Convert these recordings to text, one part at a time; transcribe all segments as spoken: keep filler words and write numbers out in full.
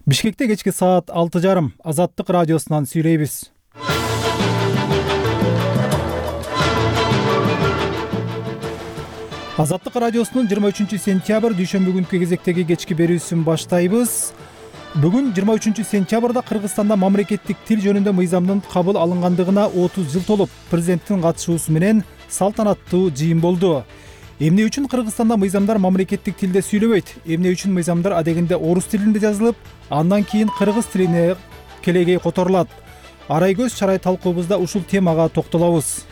Бишкекте кечки саат алты жарым Азаттык радиосунан сүйлөйбүз. Азаттык радиосунун жыйырма үчүнчү сентябрь дүйшөмбү күнкү кезектеги кечки берүүсүн баштайбыз. Бүгүн жыйырма үчүнчү сентябрда Кыргызстанда мамлекеттик тил жөнүндө мыйзамдын кабыл алынгандыгына отуз жыл толуп, президенттин катышуусу менен салтанаттуу жыйын болду. Эмне үчүн Кыргызстанда мыйзамдар мамлекеттик тилде сүйлөбөйт? Эмне үчүн мыйзамдар адегенде орус тилинде жазылып, андан кийин кыргыз тилине келегей которулат? Арай-көз чарай талкуубузда ушул темага токтолобуз.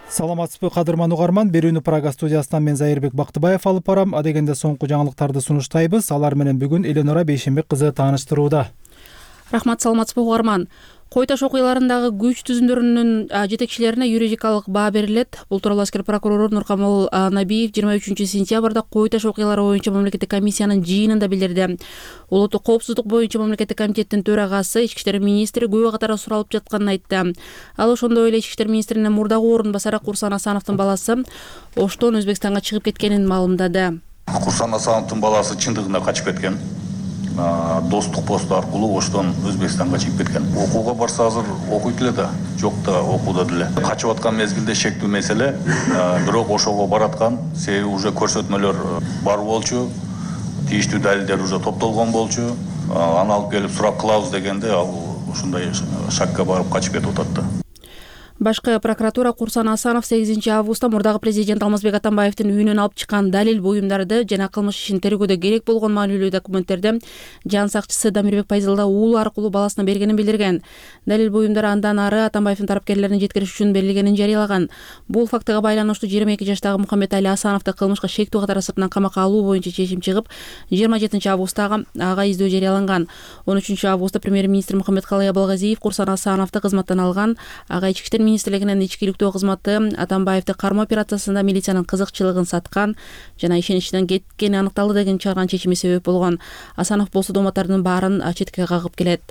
Саламатсызбы кадырман угарман, берүүнү Прага студиясынан мен Зайырбек Бактыбаев алып барам. Адегенде соңку жаңылыктарды сунуштайбыз. Алар менен бүгүн Эленора Бейшенбек кызы тааныштырууда. Рахмат, саламатсызбы угарман. Кой Таш окуяларындагы күч түзүмдөрүнүн жетекчилерине юридикалык баа берилет. Бул тууралуу аскер прокурору Нуркамал Набиев жыйырма үчүнчү сентябрда Кой Таш окуялары боюнча мамлекеттик комиссиянын жыйынында билдирди. Улуттук коопсуздук боюнча мамлекеттик комитеттин төрагасы Ички иштер министри күбө катары суралып жатканын айтты. Ал ошондой эле Ички иштер министринин мурдагы орун басары Курсан Асановдун баласы Оштон Өзбекстанга чыгып кеткенин маалымдады. Курсан Асановдун баласы чындыгында качып кеткен. Достук посту аркылуу Оштон Өзбекстанга чыгып кеткен. Окууга барса азыр окуйт эле да, жок да окууда деле. Качып аткан мезгилде шектүү меселе, бирок ошого бараткан, себеби уже көрсөтмөлөр бар болчу, тийиштүү далилдер уже топтолгон болчу. Аны алып келип сурап кылабыз дегенде ал ушундай шакка барып качып кетип атат. Башкы прокуратура Курсан Асанов сегизинчи августта мурдагы президент Алмазбек Атамбаевдин үйүнөн алып чыккан далил буюмдарды жана кылмыш ишин тергөөдө керек болгон маанилүү документтерди жан сакчысы Дамирбек Пайзалда уулу аркылуу баласына бергенин билдирген. Далил буюмдар андан ары Атамбаевдин тарапкерлерине жеткириш үчүн берилгенин жарыялаган. Бул фактыга байланыштуу жыйырма эки жаштагы Мухаммед Али Асановду кылмышка шектүү катары сыртынан камакка алуу боюнча чечим чыгып, жыйырма жетинчи августта ага издөө жарыяланган. он үчүнчү августта премьер-министр Мухаммедкалый Абылгазиев Курсан Асановду кызматтан алган. Ага ички иштер министрлигинин ичкиликтөө кызматы Атамбаевди кармоо операциясында милициянын кызыкчылыгын саткан жана ишеничинен кеткени аныкталды деген чыгарган чечими себеп болгон. Асанов болсо домотордун баарын четке кагып келет.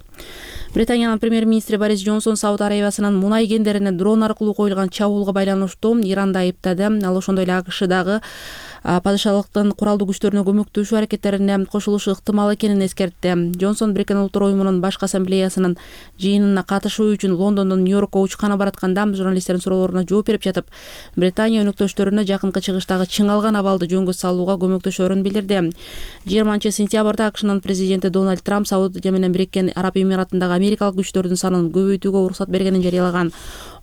Британиянын премьер-министри Борис Джонсон Сауд Арабиясынын мунай кендерине дрон аркылуу коюлган чабуулга байланыштуу Иранды айыптады. Ал ошондой эле АКШдагы падышалыктын куралдуу күчтөрүнө көмөктөшүү аракеттерине кошулушу ыктымал экенин эскертти. Джонсон Бириккен Улуттар уюмунун башкы ассамблеясынын жыйынына катышуу үчүн Лондондон Нью-Йоркко учкана баратканда журналисттердин суроолоруна жооп берип жатып, Британия өнөктөштөрүнө жакынкы чыгыштагы чыңалган абалды жөнгө салууга көмөктөшөрүн билдирди. жыйырманчы сентябрда АКШнын президенти Дональд Трамп Саудия менен Бириккен Араб Эмиратындагы америкалык күчтөрдүн санын көбөйтүүгө уруксат бергенин жарыялаган.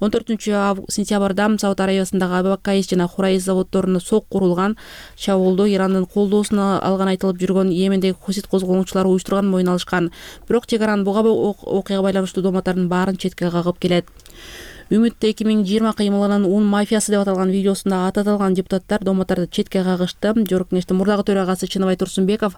он төртүнчү сентябрда Сауд Арабиясындагы Абакаис жана Хурайз заводдоруна сок курулган. Чабуулду Ирандын колдоосуна алган айтылып жүргөн Йемендеги хусит козголгончулары уюштурган мойын алышкан. Бирок чек араны буга окуяга байланыштуу домотордун баарын четке кагып келет. Үмүт эки миң жыйырма кыймылынын ун мафиясы деп аталган видеосунда аты аталган депутаттар домоторду четке кагышты. Жогорку кеңештин мурдагы төрагасы Чыныбай Турсунбеков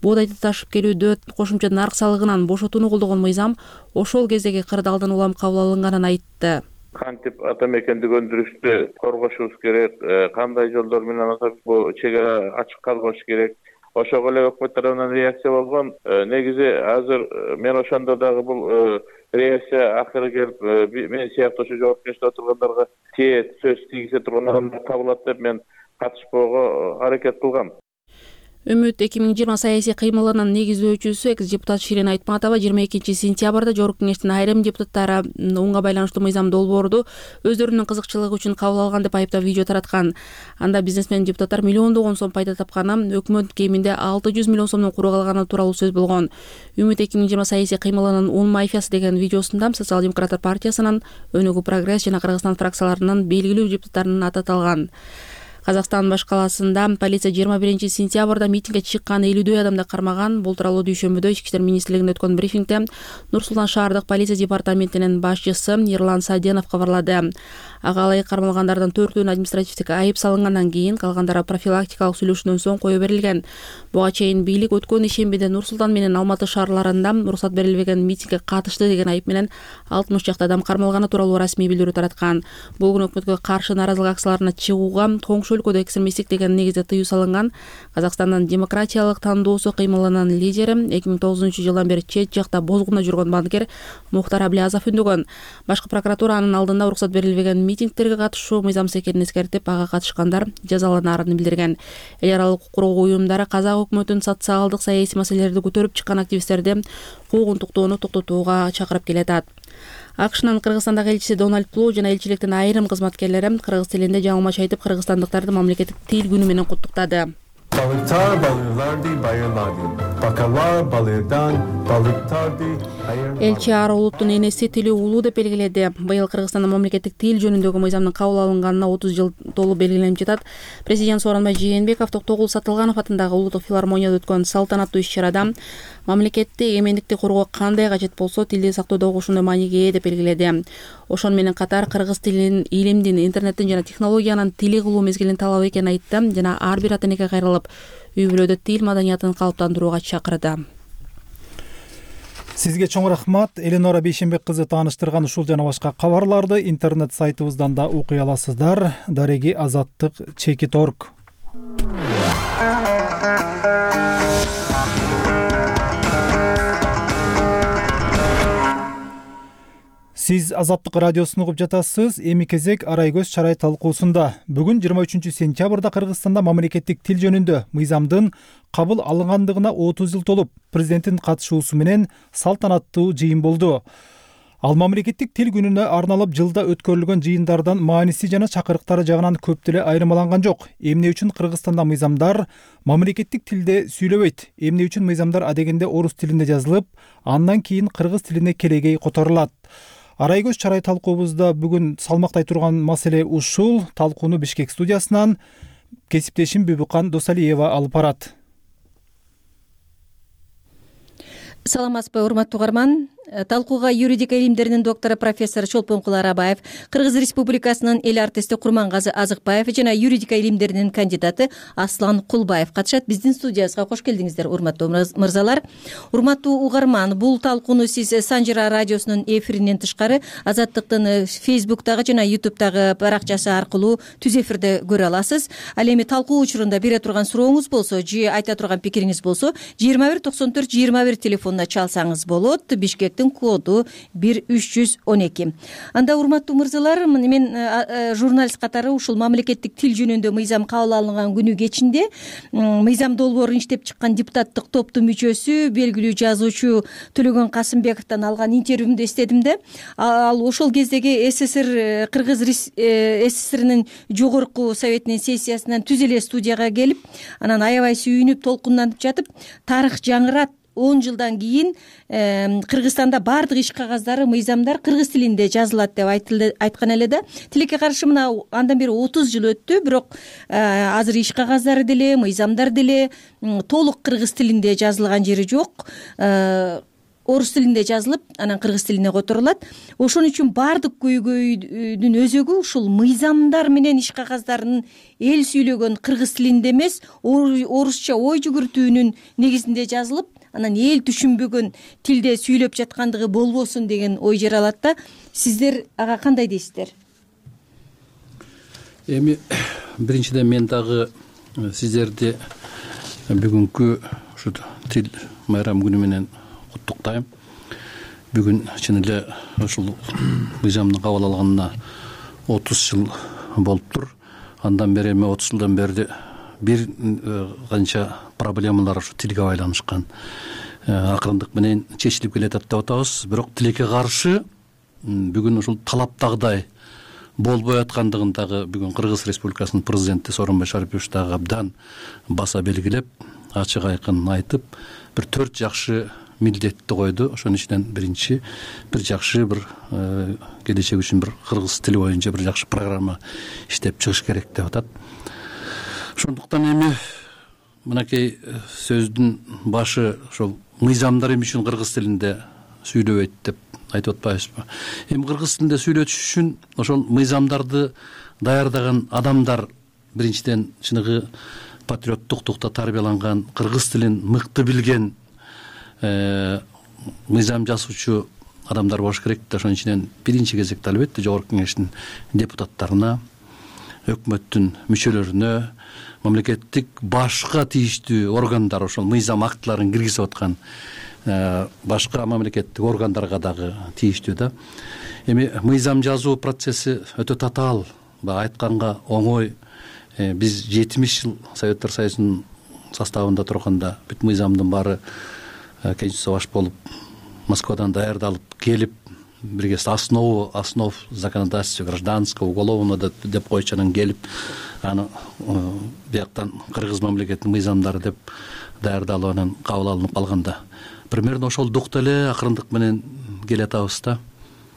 буудайды ташып келүүдө кошумча нарк салыгынан бошотууну колдогон мыйзам ошол кездеги кырдаалдан улам кабыл алынганын айтты. Кантип ата мекенди өндүрүштү коргошубуз керек, кандай жолдор менен атап бул чек ара ачык калбаш керек. Ошого эле өкмөт тарабынан реакция болгон. Негизи азыр мен ошондо дагы бул реакция акыры келип мен сыяктуу ушу жооп кештип отургандарга тиет сөз тийгизе турган адамдар табылат деп мен катышпоого аракет кылгам. Үмүт эки миң жыйырма саясий кыймылынын негиздөөчүсү экс-депутат Ширин Айтматова жыйырма экинчи сентябрда жогорку кеңештин айрым депутаттары унга байланыштуу мыйзам долбоорду өздөрүнүн кызыкчылыгы үчүн кабыл алган деп айыптап видео тараткан. Анда бизнесмен депутаттар миллиондогон сом пайда тапканы, өкмөт кеминде алты жүз миллион сомдон куру калганы тууралуу сөз болгон. Үмүт эки миң жыйырма саясий кыймылынын ун мафиясы деген видеосунда Социал-демократтар партиясынын, Өнүгүү Прогресс жана Кыргызстан фракцияларынын белгилүү депутаттарынын аты аталган. Казакстан башкаласында полиция жыйырма биринчи сентябрда митингге чыккан элүүдөй адамды кармаган. Бул тууралуу дүйшөмбүдө Ички иштер министрлигинде өткөн брифингде Нур-Султан шаардык полиция департаментинин башчысы Эрлан Саденов кабарлады. Ага ылайык кармалгандардын төртөөнүн административдик айып салынгандан кийин калгандары профилактикалык сүйлөшүүдөн соң кое берилген. Буга чейин бийлик өткөн ишембиде Нур-Султан менен Алматы шаарларында уруксат берилбеген митингге катышты деген айып менен алтымыш чакты адам кармалганы тууралуу расмий билдирүү тараткан. Бул күнү өкмөткө каршы нааразылык акцияларына чыгууга коңшу ошол өлкөдө экстремисттик деген негизде тыюу салынган Казакстандын демократиялык тандоосу кыймылынын лидери эки миң тогузунчу жылдан бери чет жакта бозгунда жүргөн банкир Мухтар Аблязов үндөгөн. Башкы прокуратура анын алдында уруксат берилбеген митингдерге катышуу мыйзамсыз экенин эскертип, ага катышкандар жазаланаарын билдирген. Эл аралык укук коргоо уюмдары казак өкмөтүнүн социалдык саясий маселелерди көтөрүп чыккан активисттерди куугунтуктоону токтотууга чакырып келатат. АКШнын Кыргызстандагы элчиси Дональд Плоу жана элчиликтин айрым кызматкерлери кыргыз тилинде жаңылмач айтып, кыргызстандыктарды мамлекеттик тил күнү менен куттуктады. Balıktar balıklardı bayırlardı. Bakarlar balıktan balıktardı. Элчи ар улуттун энеси тили улуу деп белгиледи. Быйыл Кыргызстанда мамлекеттик тил жөнүндөгү мыйзамдын кабыл алынганына отуз жыл толуп белгиленип жатат. Президент Сооронбай Жээнбеков Токтогул Сатылганов атындагы улуттук филармонияда өткөн салтанаттуу иш-чарада мамлекетти эмгендикти коргоо кандай кажет болсо, тилди сактоодогу ошондой мааниге ээ деп белгиледи. Ошону менен катар кыргыз тилин, илимдин, интернеттин жана технологиянын тили кылуу мезгилин талап экенин айтты жана ар бир ата энеге кайрылып, үй бүлөдө тил маданиятын калыптандырууга чакырды. Сизге чоң рахмат. Эленора Бейшенбек кызы тааныштырган ушул жана башка кабарларды интернет сайтыбыздан да окуй аласыздар. Дареги азаттык чеки точка орг. Сиз Азаттык радиосун угуп жатасыз. Эми кезек Арай көз чарай талкуусунда. Бүгүн жыйырма үчүнчү сентябрда Кыргызстанда мамлекеттик тил жөнүндө мыйзамдын кабыл алынгандыгына отуз жыл толуп, президенттин катышуусу менен салтанаттуу жыйын болду. Ал мамлекеттик тил күнүнө арналып жылда өткөрүлгөн жыйындардан мааниси жана чакырыктары жагынан көп деле айырмаланган жок. Эмне үчүн Кыргызстанда мыйзамдар мамлекеттик тилде сүйлөбөйт? Эмне үчүн мыйзамдар адегенде орус тилинде жазылып, андан кийин кыргыз тилине келегей которулат? Арай көз чарай талкуубузда бүгүн салмактай турган маселе ушул. Талкууну Бишкек студиясынан кесиптешим Бүбүкан Досалиева алып барат. Саламатсызбы, урматтуу угарман. Талкууга юридика илимдеринин доктору профессор Чолпонкул Арабаев, Кыргыз Республикасынын эл артисти Курмангазы Азыкбаев жана юридика илимдеринин кандидаты Аслан Кулбаев катышат. Биздин студиябызга кош келдиңиздер, урматтуу мырзалар. Урматтуу угарман, бул талкууну сиз Санжира радиосунун эфиринен тышкары Азаттыктын Фейсбуктагы жана Ютубтагы баракчасы аркылуу түз эфирде көрө аласыз. Ал эми талкуу учурунда бере турган сурооңуз болсо, же айта турган пикириңиз болсо, жыйырма бир токсон төрт жыйырма бир телефонуна чалсаңыз болот. Бишкек коду бир үч жүз он эки. Анда урматтуу мырзалар, мен журналист катары ушул мамлекеттик тил жөнүндө мыйзам кабыл алынган күнү кечинде мыйзам долбоорун иштеп чыккан депутаттык топтун мүчөсү, белгилүү жазуучу Төлөгөн Касымбековдон алган интервьюмду эстедим да. Ал ошол кездеги СССР Кыргыз СССРнин жогорку советинин сессиясынан түз эле студияга келип, анан аябай сүйүнүп, толкунданып жатып, тарых жаңырат, он жылдан кийин Кыргызстанда баардык иш кагаздары, мыйзамдар кыргыз тилинде жазылат деп айткан эле да. Тилекке каршы мына андан бери отуз жыл өттү, бирок азыр иш кагаздары деле, мыйзамдар деле толук кыргыз тилинде жазылган жери жок. Орус тилинде жазылып, анан кыргыз тилине которулат. Ошон үчүн баардык көйгөйдүн өзөгү ушул мыйзамдар менен иш кагаздарын эл сүйлөгөн кыргыз тилинде эмес, орусча ой жүгүртүүнүн негизинде жазылып, анан эл түшүнбөгөн тилде сүйлөп жаткандыгы болбосун деген ой жаралат да. Сиздер ага кандай дейсиздер? Эми биринчиден мен дагы сиздерди бүгүнкү ушу тил майрам күнү менен куттуктайм. Бүгүн чын эле ушул мыйзамдын кабыл алганына отуз жыл болуптур. Андан бери эми отуз жылдан бери бир канча проблемалар ушу тилге байланышкан акырындык менен чечилип келатат деп атабыз. Бирок тилекке каршы бүгүн ушул талаптагыдай болбой аткандыгын дагы бүгүн Кыргыз Республикасынын президенти Сооронбай Шарипович дагы абдан баса белгилеп, ачык айкын айтып, бир төрт жакшы милдетти койду. Ошонун ичинен биринчи бир жакшы бир келечек үчүн бир кыргыз тили боюнча бир жакшы программа иштеп чыгыш керек деп атат. Ошондуктан эми мынакей сөздүн башы ошол мыйзамдар эмне үчүн кыргыз тилинде сүйлөбөйт деп айтып атпайбызбы? Эми кыргыз тилинде сүйлөтүш үчүн ошол мыйзамдарды даярдаган адамдар биринчиден чыныгы патриоттуктукта тарбияланган, кыргыз тилин мыкты билген мыйзам жазуучу адамдар болуш керек да. Ошонун ичинен биринчи кезекте албетте жогорку кеңештин депутаттарына, өкмөттүн мүчөлөрүнө, мамлекеттик башка тийиштүү органдар ошол мыйзам актыларын киргизип аткан башка мамлекеттик органдарга дагы тийиштүү да. Эми мыйзам жазуу процесси өтө татаал, баягы айтканга оңой. Биз жетимиш жыл Советтер Союзунун составында турганда бүт мыйзамдын баары Конституция баш болуп Москвадан даярдалып келип, бирге основу основ законодательства гражданского, уголовного деп койчу, анан келип аны бияктан кыргыз мамлекетинин мыйзамдары деп даярдалып анан кабыл алынып калганда примерно ошол дукта эле акырындык менен келатабыз да.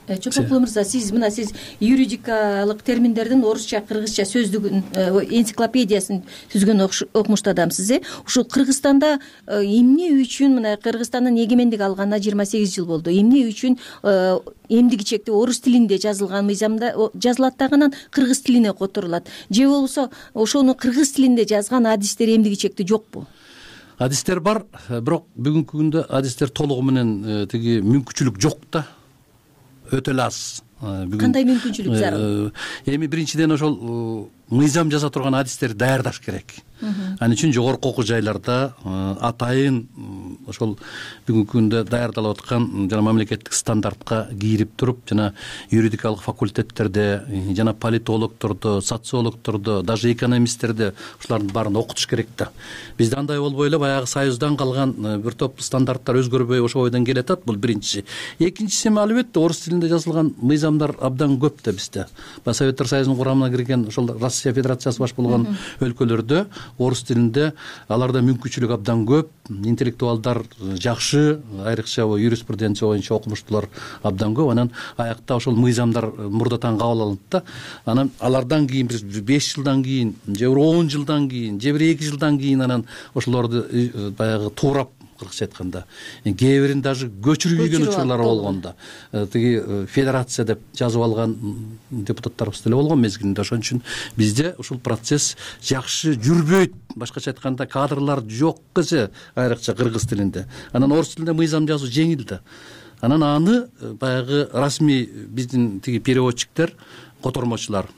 Чолпонкул мырза, сиз мына сиз юридикалык терминдердин орусча, кыргызча сөздүгүн, энциклопедиясын түзгөн окумуштуу адамсыз, э? Ушул Кыргызстанда эмне үчүн мына Кыргызстандын эгемендик алганына жыйырма сегиз жыл болду. Эмне үчүн эмдиги чекте орус тилинде жазылган мыйзамда жазылат дагы анан кыргыз тилине которулат? Же болбосо ошону кыргыз тилинде жазган адистер эмдиги чекте жокпу? Адистер бар, бирок бүгүнкү күндө адистер толугу менен тиги мүмкүнчүлүк жок да. Өтө эле аз. Кандай мүмкүнчүлүк зарыл? Эми биринчиден ошол мыйзам жаза турган адистерди даярдаш керек. Ал үчүн жогорку окуу жайларда атайын ошол бүгүнкү күндө даярдалып аткан жана мамлекеттик стандартка кирип туруп, жана юридикалык факультеттерде, жана политологдордо, социологдордо, даже экономисттерде ушулардын баарын окутуш керек да. Бизде андай болбой эле баягы Союздан калган бир топ стандарттар өзгөрбөй ошол бойдон келатат. Бул биринчиси. Экинчиси эми албетте орус тилинде жазылган мыйзамдар абдан көп да бизде. Баягы Советтер Союзунун курамына кирген ошол Россия Федерациясы баш болгон өлкөлөрдө орус тилинде аларда мүмкүнчүлүк абдан көп, интеллектуалдар жакшы, айрыкча юриспруденция боюнча окумуштуулар абдан көп. Анан аякта ошол мыйзамдар мурдатан кабыл алынат да. Анан алардан кийин бир беш жылдан кийин, же бир он жылдан кийин, же бир эки жылдан кийин анан ошолорду баягы туурап, кыргызча айтканда, кээ бирин даже көчүрүп ийген учурлар болгон да. Тиги федерация деп жазып алган депутаттарыбыз деле болгон мезгилинде. Ошон үчүн бизде ушул процесс жакшы жүрбөйт. Башкача айтканда, кадрлар жок эсе, айрыкча кыргыз тилинде. Анан орус тилинде мыйзам жазуу жеңил да. Анан аны баягы расмий биздин тиги переводчиктер, котормочулар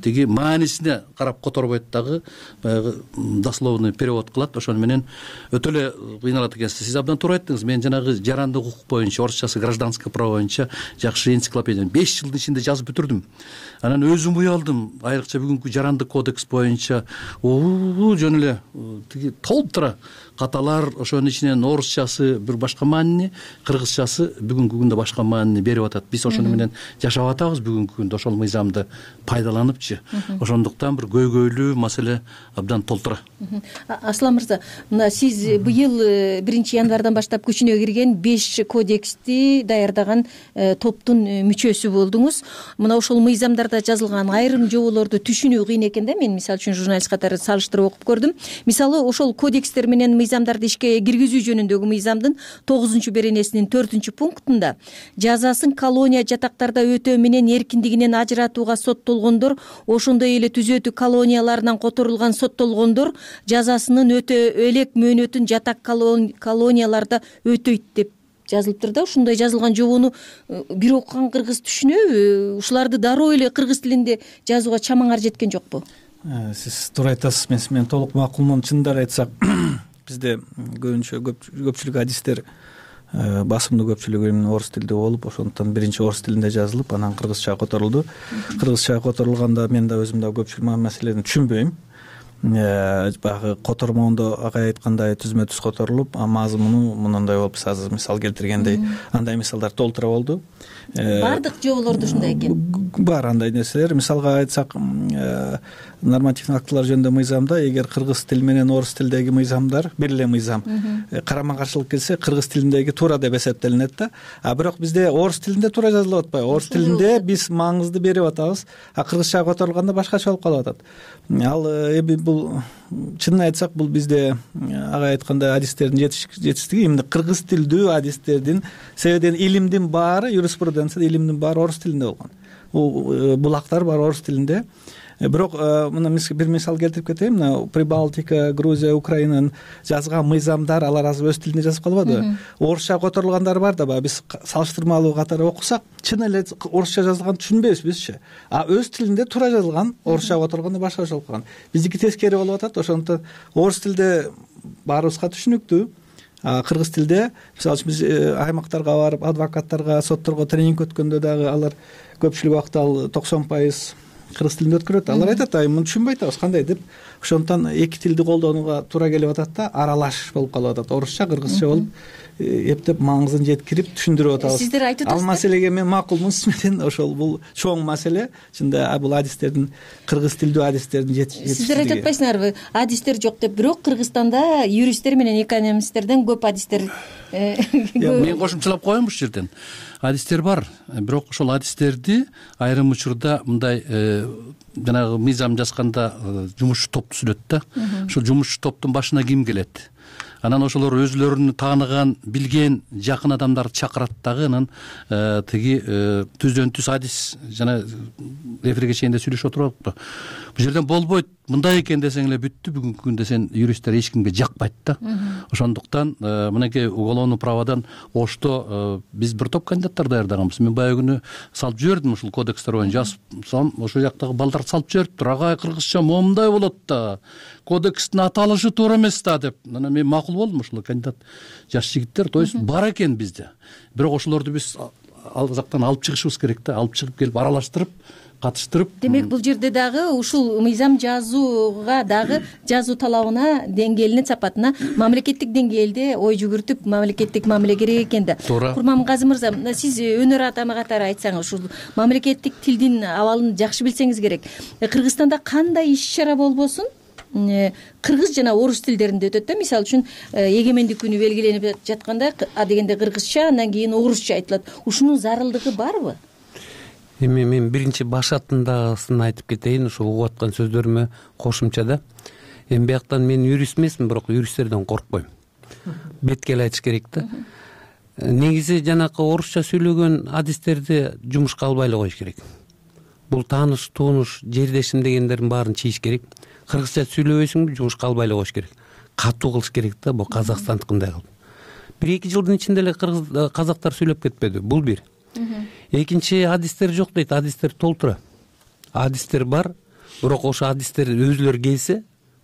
тиги маанисине карап которбойт дагы, баягы дословный перевод кылат. Ошону менен өтө эле кыйналат экенсиз. Сиз абдан туура айттыңыз. Мен жанагы жарандык укук боюнча, орусчасы гражданское право боюнча жакшы энциклопедияны беш жылдын ичинде жазып бүтүрдүм. Анан өзүм уялдым. Айрыкча бүгүнкү жарандык кодекс боюнча жөн эле тиги толтура каталар, ошонун ичинен орусчасы бир башка маанини, кыргызчасы бүгүнкү күндө башка маанини берип атат. Биз ошону менен жашап атабыз бүгүнкү күндө, ошол мыйзамды пайдаланыпчы. Ошондуктан бир көйгөйлүү маселе абдан толтура. Аслан мырза, мына сиз быйыл биринчи январдан баштап күчүнө кирген беш кодексти даярдаган топтун мүчөсү болдуңуз. Мына ошол мыйзамдарда жазылган айрым жоболорду түшүнүү кыйын экен да. Мен мисалы үчүн журналист катары салыштырып окуп көрдүм. Мисалы ошол кодекстер менен мыйзамдарды ишке киргизүү жөнүндөгү мыйзамдын тогузунчу беренесинин төртүнчү пунктунда жазасын колония жатактарда өтөө менен эркиндигинен ажыратууга соттолгондор, ошондой эле түзөтүү колонияларынан которулган соттолгондор жазасынын өтө элек мөөнөтүн жатак колонияларда өтөйт деп жазылыптыр да. Ушундай жазылган жобону бир окуган кыргыз түшүнөбү? Ушуларды дароо эле кыргыз тилинде жазууга чамаңар жеткен жокпу? Сиз туура айтасыз. Мен мен толук макулмун. Чындап айтсак, бизде көбүнчө көпчүлүк адистер, басымдуу көпчүлүгү орус тилде болуп, ошондуктан биринчи орус тилинде жазылып, анан кыргызчага которулду. Кыргызчага которулганда мен да өзүм да көпчүлүк маселени түшүнбөйм. Баягы котормондо агай айткандай түзмө түз которулуп, мазмуну мындай болуп, сиз азыр мисал келтиргендей, андай мисалдар толтура болду. Бардык жоболордо ушундай экен. Бар андай нерселер. Мисалга айтсак, нормативдик актылар жөнүндө мыйзамда эгер кыргыз тили менен орус тилдеги мыйзамдар бир эле мыйзам карама каршылык келсе, кыргыз тилиндеги туура деп эсептелинет да. А бирок бизде орус тилинде туура жазылып атпайбы? Орус тилинде биз маңызды берип атабыз, а кыргызчага которулганда башкача болуп калып атат. Ал эми бул чынын айтсак, бул бизде агай айткандай адистердин жетишсиздиги, эмне кыргыз тилдүү адистердин, себебен илимдин баары, юриспруденция илимдин баары орус тилинде болгон. Булактар бар орус тилинде. бирок мына бир мисал келтирип кетейин. Мына Прибалтика, Грузия, Украинанын жазган мыйзамдар алар азыр өз тилинде жазып калбадыбы? Орусча которулгандар бар да, баягы биз салыштырмалуу катары окусак, чын эле орусча жазылганды түшүнбөйбүз бизчи. А өз тилинде туура жазылган, орусча которулганда башкача болуп калган. Биздики тескери болуп атат. Ошондуктан орус тилде баарыбызга түшүнүктүү. Кыргыз тилде мисалы үчүн биз аймактарга барып, адвокаттарга, сотторго тренинг өткөндө дагы алар көпчүлүк убакыт ал токсон пайыз кыргыз тилинде өткөрөт. Алар айтат, ай муну түшүнбөй атабыз кандай деп. Ошондуктан эки тилди колдонууга туура келип атат да, аралаш болуп калып атат. Орусча, кыргызча болуп эптеп маңызын жеткирип түшүндүрүп атабыз. Сиздер айтып атасыздар. Ал маселеге мен макулмун сиз менен. Ошол бул чоң маселе. Чында бул адистердин, кыргыз тилдүү адистердин жетишсиздиги. Сиздер айтып атпайсыңарбы, адистер жок деп? Бирок Кыргызстанда юристтер менен экономисттерден көп адистер. Мен кошумчалап коеюн ушул жерден. Адистер бар, бирок ошол адистерди айрым учурда мындай жанагы мыйзам жазганда жумушчу топ түзүлөт да. Ошол жумушчу топтун башына ким келет? Анан ошолор өзүлөрүн тааныган, билген, жакын адамдарды чакырат дагы. Анан тиги түздөн түз адис жана эфирге чейин да сүйлөшүп отуруппу. Бул жерден болбойт, мындай экен десең эле бүттү. Бүгүнкү күндө сен юристтер эч кимге жакпайт да. Ошондуктан мынакей уголовный праводан Ошто биз бир топ кандидаттар даярдаганбыз. Мен баягы күнү салып жибердим ушул кодекстер боюнча жазсам, ошол жактагы балдарды салып жибериптир. Агай, кыргызча момундай болот да. Кодекстин аталышы туура эмес да деп. Анан мен макул болдум, ушул кандидат жаш жигиттер, то есть бар экен бизде. Бирок ошолорду биз ал жактан алып чыгышыбыз керек да, алып чыгып келип аралаштырып, катыштырып. Демек бул жерде дагы ушул мыйзам жазууга дагы жазуу талабына, деңгээлине, сапатына мамлекеттик деңгээлде ой жүгүртүп, мамлекеттик мамиле керек экен да. Курмангазы мырза, сиз өнөр адамы катары айтсаңыз, ушул мамлекеттик тилдин абалын жакшы билсеңиз керек. Кыргызстанда кандай иш-чара болбосун кыргыз жана орус тилдеринде өтөт да. Мисалы үчүн эгемендик күнү белгиленип жатканда адегенде кыргызча, андан кийин орусча айтылат. Ушунун зарылдыгы барбы? Эми мен биринчи башатындагысын айтып кетейин, ушу угуп аткан сөздөрүмө кошумчада. Эми бияктан мен юрист эмесмин, бирок юристтерден коркпойм. Бетке эле айтыш керек да. Негизи жанакы орусча сүйлөгөн адистерди жумушка албай эле коюш керек. Бул тааныш, тууныш, жердешим дегендердин баарын чийиш керек. Кыргызча сүйлөбөйсүңбү, жумушка албай эле коюш керек. Катуу кылыш керек да, бул Казакстандыкындай кылып. Бир-эки жылдын ичинде эле кыргыз казактар сүйлөп кетпеди. Бул бир. Экинчи, адистер жок дейт. Адистер толтура. Адистер бар, бирок ошо адистер өзүлөрү келсе,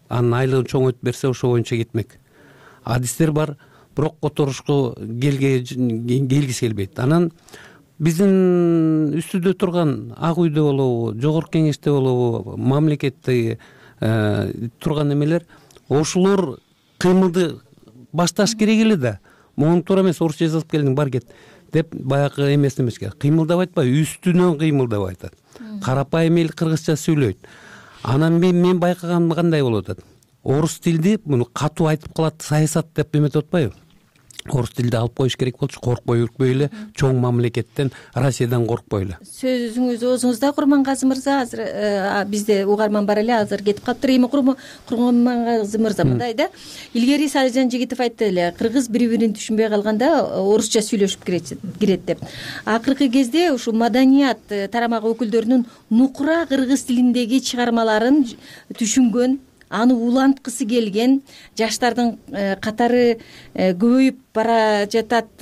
анын айлыгын чоңойтуп берсе, ошо боюнча кетмек. Адистер бар, бирок которушко келгиси келбейт. Анан биздин үстүдө турган Ак үйдө болобу, жогорку кеңеште болобу, мамлекетте турган эмелер, ошолор кыймылды башташ керек эле да. Могу туура эмес, орусча жазып келдиң, бар кет деп баягы эмесин эмес керек. Кыймылдап айтпай, үстүнөн кыймылдап айтат. Карапайым эл кыргызча сүйлөйт. Анан мен мен байкаганым кандай болуп атат? Орус тилди муну катуу айтып калат, саясат деп эметип атпайбы? Орус тилди алып коюш керек болчу, коркпой үркпөй эле, чоң мамлекеттен, Россиядан коркпой эле. Сөзүңүз оозуңузда, Курмангазы мырза. Азыр бизде угарман бар эле, азыр кетип калыптыр. Эми Курмангазы мырза мындай да, илгери Салижан Жигитов айтты эле, кыргыз бири-бирин түшүнбөй калганда орусча сүйлөшүп кирет деп. Акыркы кезде ушул маданият тарамагы өкүлдөрүнүн нукура кыргыз тилиндеги чыгармаларын түшүнгөн, аны уланткысы келген жаштардын катары көбөйүп бара жатат,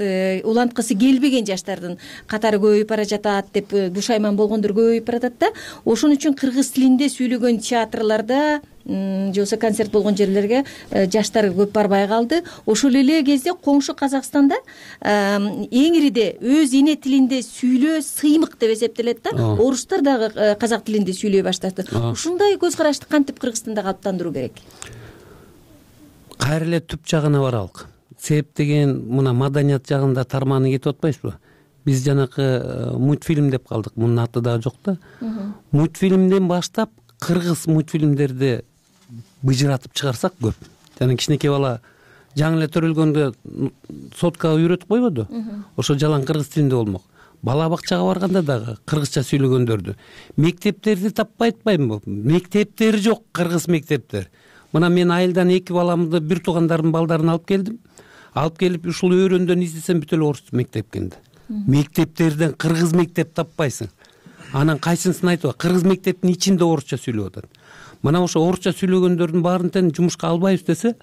уланткысы келбеген жаштардын катары көбөйүп бара жатат деп бушайман болгондор көбөйүп баратат да. Ошон үчүн кыргыз тилинде сүйлөгөн театрларда же болбосо концерт болгон жерлерге жаштар көп барбай калды. Ошол эле кезде коңшу Казакстанда эң ириде өз эне тилинде сүйлөө сыймык деп эсептелет да. Орустар дагы казак тилинде сүйлөй баштады. Ушундай көз карашты кантип Кыргызстанда калыптандыруу керек? Кайра эле түп жагына баралык. Себеп деген мына маданият жагында тарманы кетип атпайсызбы? Биз жанакы мультфильм деп калдык. Мунун аты дагы жок да. Мультфильмден баштап кыргыз мультфильмдерди быжыратып чыгарсак көп. Жана кичинекей бала жаңы эле төрөлгөндө соткага үйрөтүп койбоду? Ошо жалаң кыргыз тилинде болмок. Бала бакчага барганда дагы кыргызча сүйлөгөндөрдү. Мектептерди таппай атпаймынбы? Мектептери жок, кыргыз мектептер. Мына мен айылдан эки баламды, бир туугандардын балдарын алып келдим. Алып келип ушул өрөндөн издесем бүт эле орус мектеп экен да. Мектептерден кыргыз мектеп таппайсың. анан кайсынысын айтып кыргыз мектептин ичинде орусча сүйлөп атат. Мына ошо орусча сүйлөгөндөрдүн баарын тең жумушка албайбыз десе,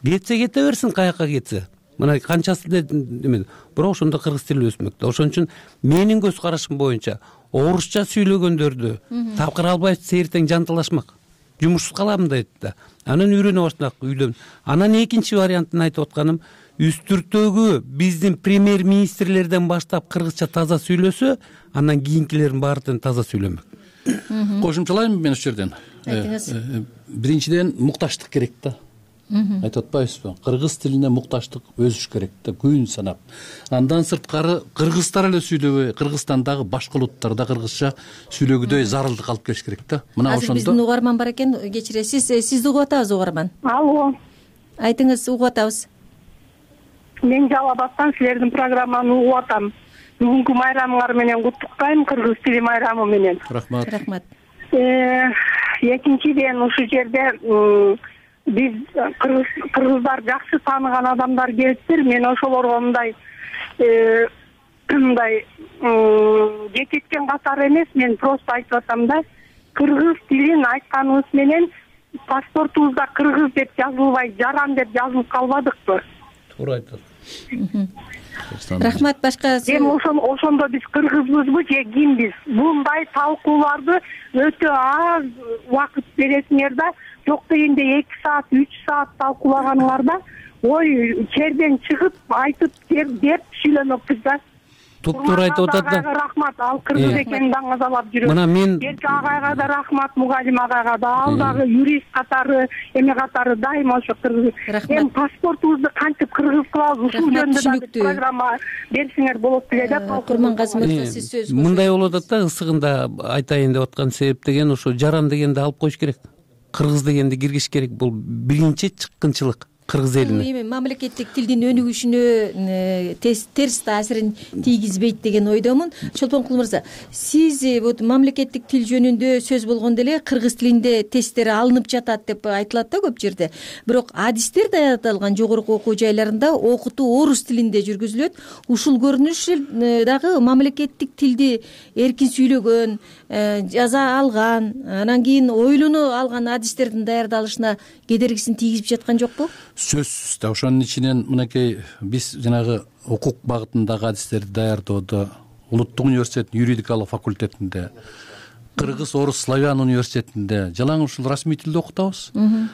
кетсе кете берсин, каяка кетсе. Мына канчасы деме, бирок ошондо кыргыз тили өсмөктө. Ошон үчүн менин көз карашым боюнча орусча сүйлөгөндөрдү тапкыр албайбыз, эртең жанталашмак. Жумушсуз каламын дейт да. Анан үйрөнө баштадык үйдөн. Анан экинчи вариантын айтып атканым, үстүртөгү биздин премьер-министрлерден баштап кыргызча таза сүйлөсө, анан кийинкилердин баары таза сүйлөмөк. Кошумчалайм мен ушул жерден. Биринчиден мукташтык керек да. Айтып атпайбызбы? Кыргыз тилине мукташтык өсүш керек да, күн санап. Андан сырткары кыргыздар эле сүйлөбөй, Кыргызстандагы башка улуттар да кыргызча сүйлөгүдөй зарылдык алып келиш керек да. Мына ошондо биздин угарман бар экен, кечиресиз, сизди угуп атабыз угарман. Алло. Айтыңыз, угуп атабыз. Мен Жалал Абадтан силердин программаны угуп атам. Бүгүнкү майрамыңар менен куттуктайм, кыргыз тили майрамы менен. Рахмат. Рахмат. Экинчиден ушул жерде биз кыргыздар жакшы тааныган адамдар келиптир. Мен ошолорго мындай мындай жетишкен катары эмес, мен просто айтып атам да, кыргыз тилин айтканыбыз менен паспортубузда кыргыз деп жазылбай, жаран деп жазылып калбадыкпы? Туура айтат. Рахмат. Башка эми ошондо биз кыргызбызбы же кимбиз? Мындай талкууларды өтө аз убакыт бересиңер да, жок дегенде эки саат, үч саат талкуулаганыңарда ой черден чыгып айтып деп сүйлөмөкпүз да. Туп-туура айтып атат да. Рахмат, ал кыргыз экенин даңазалап жүрөт. Мына мен Берки агайга да рахмат, мугалим агайга да, ал дагы юрист катары, эме катары дайыма ошо кыргыз. Эми паспортубузду кантип кыргыз кылабыз? Ушул жөнүндө да программа берсеңер болот деле да. Курмангазы мырза, сиз сөз. Мындай болуп атат да, ысыгында айтайын деп аткан себеп деген ошо жаран дегенди алып коюш керек. Кыргыз дегенди киргизиш керек. Бул биринчи чыккынчылык кыргыз элине. Эми мамлекеттик тилдин өнүгүшүнө терс таасирин тийгизбейт деген ойдомун. Чолпонкул мырза, сиз вот мамлекеттик тил жөнүндө сөз болгондо эле кыргыз тилинде тесттер алынып жатат деп айтылат да көп жерде. Бирок адистер даярдалган жогорку окуу жайларында окутуу орус тилинде жүргүзүлөт. Ушул көрүнүш дагы мамлекеттик тилди эркин сүйлөгөн, жаза алган, анан кийин ойлоно алган адистердин даярдалышына кедергисин тийгизип жаткан жокпу? Сөзсүз да, ошонун ичинен мынакей биз жанагы укук багытындагы адистерди даярдоодо Улуттук университеттин юридикалык факультетинде, Кыргыз орус славян университетинде жалаң ушул расмий тилде окутабыз.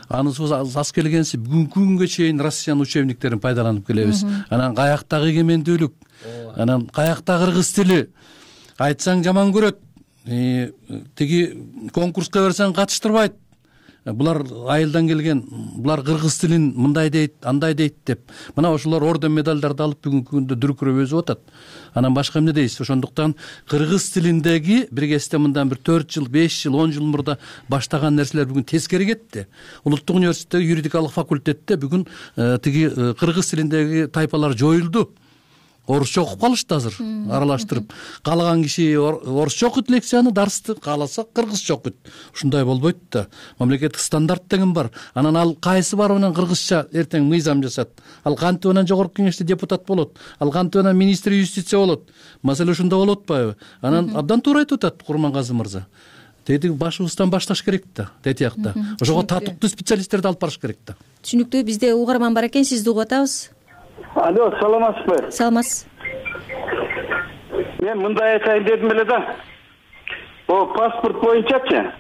Анысыбыз аз келгенси бүгүнкү күнгө чейин Россиянын учебниктерин пайдаланып келебиз. Анан каяктагы эгемендүүлүк, анан каякта кыргыз тили айтсаң жаман көрөт, тиги конкурска берсең катыштырбайт. Булар айылдан келген, булар кыргыз тилин мындай дейт, андай дейт деп. Мына ошолор орден медалдарды алып бүгүнкү күндө дүркүрөп өсүп атат. Анан башка эмне дейсиз? Ошондуктан кыргыз тилиндеги бир кезде мындан бир төрт жыл, беш жыл, он жыл мурда баштаган нерселер бүгүн тескери кетти. Улуттук университеттеги юридикалык факультетте бүгүн тиги кыргыз тилиндеги тайпалар жоюлду. Орусча окуп калышты азыр, аралаштырып. Каалаган киши орусча окуйт лекцияны, дарсты, кааласа кыргызча окуйт. Ушундай болбойт да. Мамлекеттик стандарт деген бар. Анан ал кайсы барып анан кыргызча эртең мыйзам жасат. Ал кантип анан жогорку кеңеште депутат болот. Ал кантип анан министр юстиция болот. Маселе ушунда болуп атпайбы? Анан абдан туура айтып атат Курмангазы мырза. Деди башыбыздан башташ керек да, тетиякта. Ошого татыктуу специалисттерди алып барыш керек да. Түшүнүктүү. Бизде угарман бар экен, сизди угуп атабыз. Алло, саламатсызбы? Саламатсыз. Мен мындай айтайын дедим эле да. О, паспорт боюнчачы.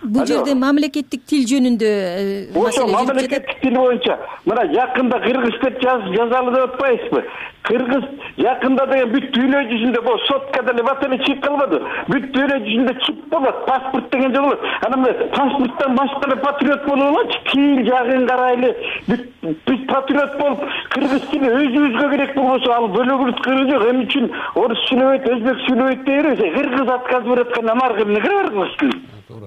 Бул жерде мамлекеттик тил жөнүндө ошо мамлекеттик тил боюнча мына жакында кыргыз деп жазалы деп атпайсызбы? Кыргыз жакында деген бүт дүйнө жүзүндө бул сотка деле бат эле чыгып калбады. Бүт дүйнө жүзүндө чип болот, паспорт деген жол болот. Анан паспорттан башка эле патриот болуп алачы, тил жагын карайлы. Бүт патриот болуп, кыргыз тили өзүбүзгө керек болбосо, ал бөлөгүбүз кыргыз жок. Эмне үчүн орус сүйлөбөйт, өзбек сүйлөбөйт dey беребиз? Кыргыз отказ берип атканда амарга эмне керек кыргыз тили?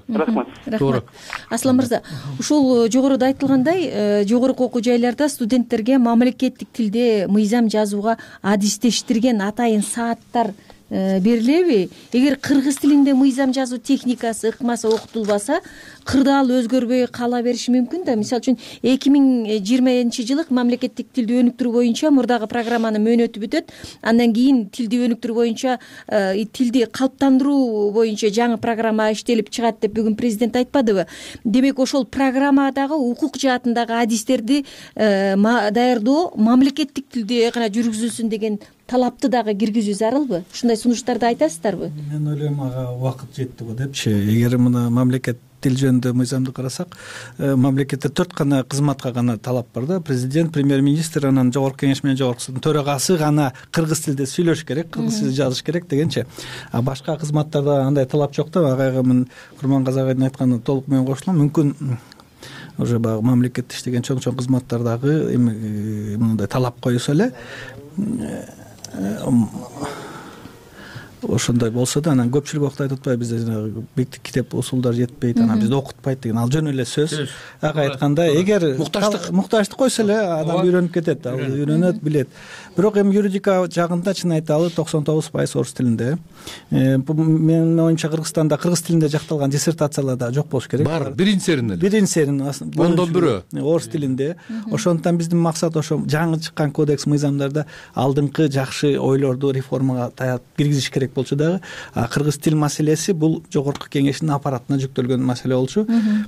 Рахмат. Рахмат. Аслан мырза, ушул жогоруда айтылгандай, жогорку окуу жайларда студенттерге мамлекеттик тилде мыйзам жазууга адистештирген атайын сааттар берилеби? Эгер кыргыз тилинде мыйзам жазуу техникасы, ыкмасы окутулбаса, кырдаал өзгөрбөй кала бериши мүмкүн да. Мисалы үчүн эки миң жыйырманчы жылы мамлекеттик тилди өнүктүрүү боюнча мурдагы программанын мөөнөтү бүтөт. Андан кийин тилди өнүктүрүү боюнча тилди калыптандыруу боюнча жаңы программа иштелип чыгат деп бүгүн президент айтпадыбы? Демек ошол программадагы укук жаатындагы адистерди даярдоо мамлекеттик тилде гана жүргүзүлсүн деген талапты дагы киргизүү зарылбы? Ушундай сунуштарды айтасыздарбы? Мен ойлойм ага убакыт жетти го депчи. Эгер мына мамлекет тил жөнүндө мыйзамды карасак, мамлекетте төрт гана кызматка гана талап бар да. Президент, премьер-министр, анан жогорку кеңеш менен жогорку төрагасы гана кыргыз тилинде сүйлөш керек, кыргыз тилинде жазыш керек дегенчи. А башка кызматтарда андай талап жок да. Агайга мен Курмангазы агайдын айтканына толук менен кошулам. Мүмкүн уже баягы мамлекетте иштеген чоң-чоң кызматтардагы эми мындай талап коюлса эле ошондой болсо да, анан көпчүлүк убакта айтып атпайбы, бизде жанагы бектик китеп усулдар жетпейт, анан бизди окутпайт деген, ал жөн эле сөз. Ага айткандай, эгер муктаждык муктаждык койсо эле адам үйрөнүп кетет, ал үйрөнөт, билет. Бирок эми юридика жагында чын айталы токсон тогуз пайыз орус тилинде. Менин оюмча Кыргызстанда кыргыз тилинде жакталган диссертациялар да жок болуш керек. Бар, биринчи серин эле. Биринчи серин ондон бирөө орус тилинде. Ошондуктан биздин максат ошо жаңы чыккан кодекс мыйзамдарда алдыңкы жакшы ойлорду реформага таят киргизиш керек болчу дагы. А кыргыз тил маселеси бул жогорку кеңештин аппаратына жүктөлгөн маселе болчу.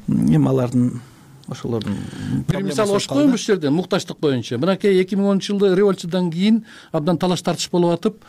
Эми алардын ошолордун бир мисал ошо коем ушул жерде муктаждык боюнча. Мынакей эки миң онунчу жылы революциядан кийин абдан талаш тартыш болуп атып,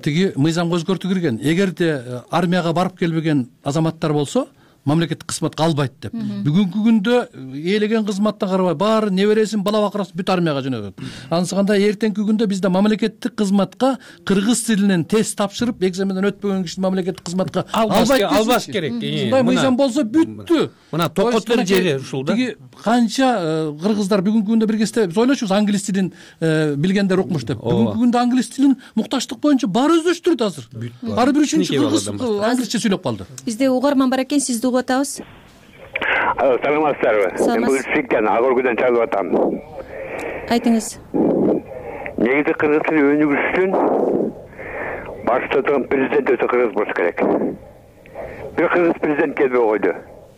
тиги мыйзамга өзгөртүү кирген. Эгерде армияга барып келбеген азаматтар болсо, мамлекеттик кызматка албайт деп. Бүгүнкү күндө ээлеген кызматтан карабай баары небересин, бала бакырасы бүт армияга жөнөтөт. Анысыканда эртеңки күндө бизде мамлекеттик кызматка кыргыз тилинен тест тапшырып, экзаменден өтпөгөн кишини мамлекеттик кызматка албайт, албаш керек. Мындай мыйзам болсо бүттү. Мына токотор жери ушул да. Тиги канча кыргыздар бүгүнкү күндө бир кезде биз ойлочубуз англис тилин билгендер укмуш деп. Бүгүнкү күндө англис тилин муктаждык боюнча баары өздөштүрөт азыр. Ар бир үчүнчү кыргыз англисче сүйлөп калды. Бизде угарман бар экен, сизди угуп атабыз. Саламатсыздарбы? Мен бул Сиктен Агоргүдөн чалып атам. Айтыңыз. Негизи кыргыз тили өнүгүшүн башта турган президент өтө кыргыз болуш керек. Бир кыргыз президент келбей койду.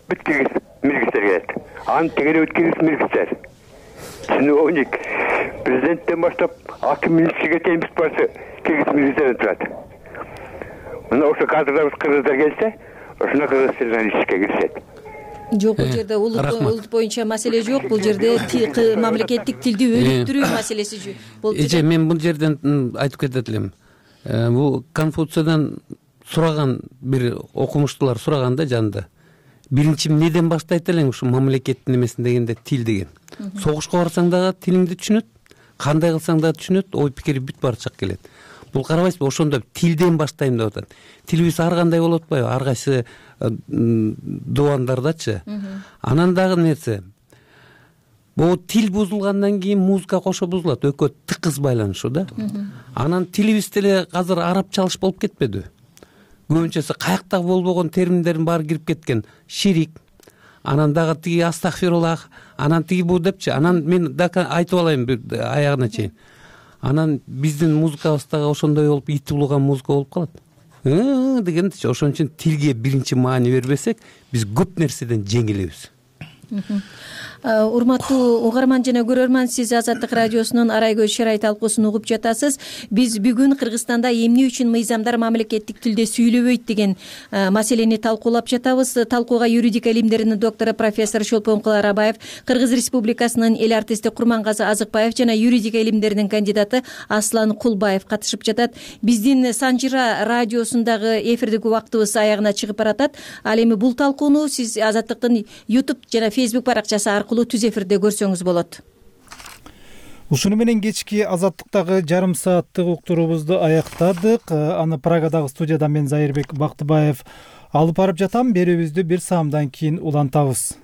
Бүт кыргыз милгистер келет. Анын тегере бүт кыргыз милгистер. Чиновник президенттен баштап аким министрге чейин бүт башы кыргыз милгистер турат. Мына ошо кадрда кыргыздар келсе, ошондо кыргыз тилинен ишке киришет. Жок, бул жерде улут боюнча маселе жок, бул жерде мамлекеттик тилди өнүктүрүү маселеси болуп жатат. Эже, мен бул жерден айтып кетет элем. Бул Конфуциядан сураган бир окумуштуулар сураганда жанында биринчи эмнеден баштайт элең ушу мамлекеттин эмесин дегенде тил деген. Согушка барсаң дагы тилиңди түшүнөт, кандай кылсаң дагы түшүнөт, ой пикири бүт баары чак келет. Бул карабайсызбы, ошондо тилден баштайм деп атат. Тилибиз ар кандай болуп атпайбы? Ар кайсы дубандардачы. Анан дагы нерсе. Бул тил бузулгандан кийин музыка кошо бузулат, экөө тыкыз байланышуу да. Анан тилибиз деле азыр арабчалыш болуп кетпеди. Көбүнчөсү каяктагы болбогон терминдердин баары кирип кеткен. Ширик, анан дагы тиги астагфируллах, анан тиги бу депчи. Анан мен дагы айтып алайын бир аягына чейин. Анан биздин музыкабыздагы ошондой болуп ити улуган музыка болуп калат. Ы дегендичи. Ошон үчүн тилге биринчи маани бербесек, биз көп нерседен жеңилебиз. Урматтуу угарман жана көрөрман, сиз Азаттык радиосунун Арай көз шарай талкуусун угуп жатасыз. Биз бүгүн Кыргызстанда эмне үчүн мыйзамдар мамлекеттик тилде сүйлөбөйт деген маселени талкуулап жатабыз. Талкууга юридика илимдеринин доктору профессор Чолпонкул Арабаев, Кыргыз Республикасынын эл артисти Курмангазы Азыкбаев жана юридика илимдеринин кандидаты Аслан Кулбаев катышып жатат. Биздин Санжыра радиосундагы эфирдик убактыбыз аягына чыгып баратат. Ал эми бул талкууну сиз Азаттыктын YouTube жана Facebook баракчасы аркылуу түз эфирде көрсөңүз болот. Ушуну менен кечки Азаттыктагы жарым сааттык уктуруубузду аяктадык. Аны Прагадагы студияда мен Зайырбек Бактыбаев алып барып жатам. Берүүбүздү бир саамдан кийин улантабыз.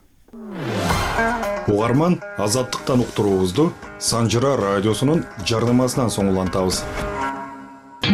Угарман, Азаттыктан уктуруубузду Санжыра радиосунун жарнамасынан соң улантабыз.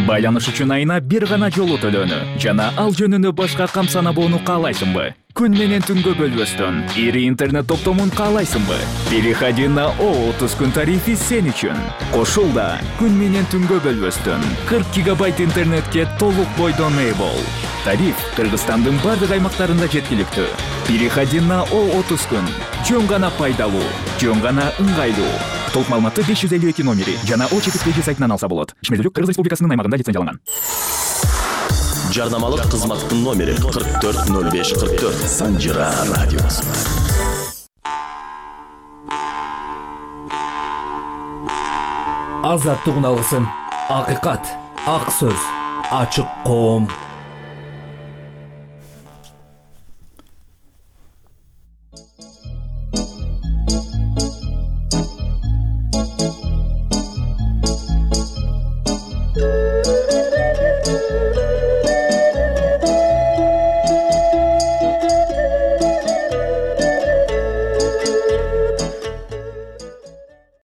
Байланыш үчүн айына бир гана жолу төлөнү жана ал жөнүндө башка камсанабоону каалайсыңбы? Күн менен түнгө бөлбөстөн ири интернет топтомун каалайсыңбы? Переходи на о отуз күн тарифи сен үчүн. Кошулда күн менен түнгө бөлбөстөн кырк гигабайт интернетке толук бойдон ээ бол. Тариф Кыргызстандын бардык аймактарында жеткиликтүү. Переходи на О отуз күн. Жөн гана пайдалуу, жөн гана ыңгайлуу. Толук маалыматты беш жүз элүү эки номери жана О чекиткеги сайтынан алса болот. Ишмердүүлүк Кыргыз Республикасынын аймагында лицензияланган. Жарнамалык кызматтын номери кырк төрт ноль беш кырк төрт. Санжыра радиосу. Азаттык алгысын, акыйкат, ак сөз, ачык коом.